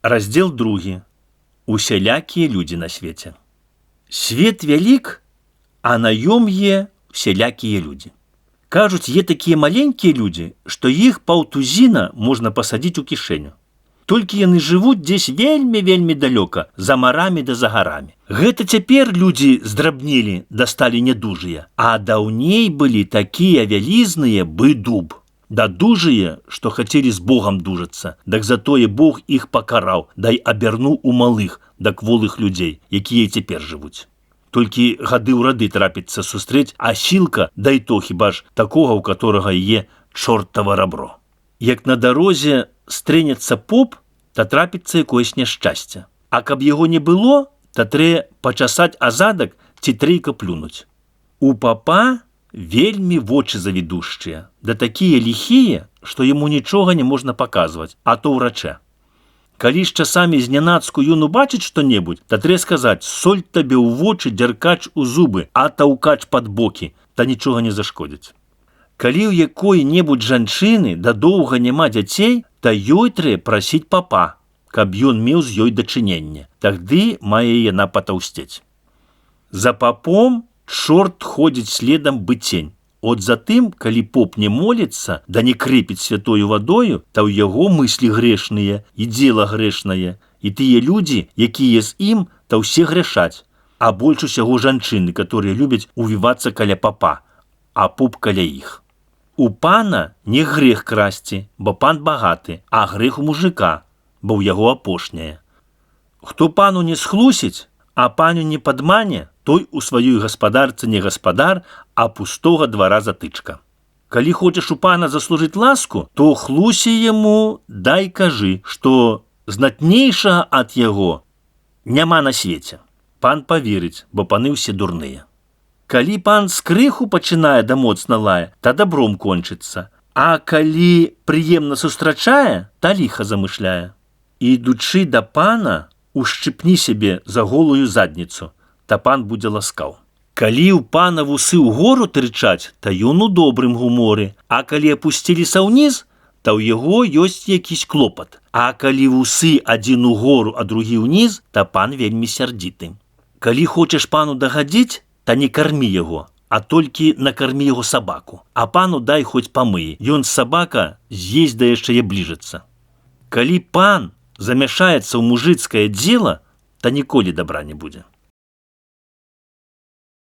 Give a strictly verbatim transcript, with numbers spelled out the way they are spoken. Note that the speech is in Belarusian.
Раздзел другі. Усялякія людзі на свеце. Свет вялік, а на ём е усялякія людзі. Кажуць, е такія маленькія людзі, што іх паўтузіна можна пасадзіць у кішэню. Толькі яны жывуць дзесь вельмі-вельмі далёка, за марамі да за гарамі. Гэта цяпер людзі здрабнелі, дасталі нядужыя, а даўней былі такія вялізныя бы дуб. Да дужыя, што хацелі з Богам дужацца, дак затое Бог іх пакараў, дай абярнуў у малых, да кволых людзей, якія цяпер жывуць. Толькі гады ў рады трапіцца сустрэць асілка, дай то хіба ж такога, у которага е чортава рабро. Як на дарозе стрэнецца поп, та трапіцца якоесь няшчасце. А каб яго не было, та трэ пачасаць азадак ці трейка плюнуць. У папа вельмі вочы завідушчыя, да такія ліхія, што яму нічога не можна паказваць, а то ўрачэ. Калі ж часамі знянацку ён убачыць што-небудзь, та трэ сказаць: соль табе ў вочы, дзяркач у зубы, а таўкач пад бокі, та нічога не зашкодзіць. Калі ў якой-небудзь жанчыны да доўга няма дзяцей, та ёй трэ прасіць папа, каб ён меў з ёй дачыненне, тагды мае яна патаўсцець. За папом чорт ходзіць следам быцень. От затым, калі поп не моліцца, да не крыпіць святою вадою, та ў яго мыслі грэшныя і дзела грэшнае, і тыя людзі, якія з ім, та ўсе грэшаць, а больш усяго жанчыны, которые любяць увівацца каля папа, а поп каля іх. У пана не грэх красці, бо пан багаты, а грэх у мужика, бо ў яго апошняе. Хто пану не схлусіць, а паню не падмане, той у сваёй гаспадарцы не гаспадар, а пустога двара затычка. Калі хочаш у пана заслужыць ласку, то хлусі яму, дай кажы, што знатнейшага ад яго няма на свеце. Пан паверыць, бо паны ўсе дурныя. Калі пан з крыху пачынае да моцна лае, та добром кончыцца, а калі прыемна сустрачае, та ліха замышляе. Ідучы да пана, ушчыпні сябе за голую задніцу, та пан будзе ласкаў. Калі ў пана вусы ўгору тырчаць, та ён у добрым гуморы, а калі апусціліся ўніз, та ў яго ёсць якісь клопат. А калі вусы адзін угору, а другі ўніз, та пан вельмі сярдзіты. Калі хочаш пану дагадзіць, та не кармі яго, а толькі накармі яго сабаку. А пану дай хоць памые, ён сабака з'есть да яшчэ е бліжацца. Калі пан замяшаецца ў мужыцкае дзела, та ніколі добра не будзе.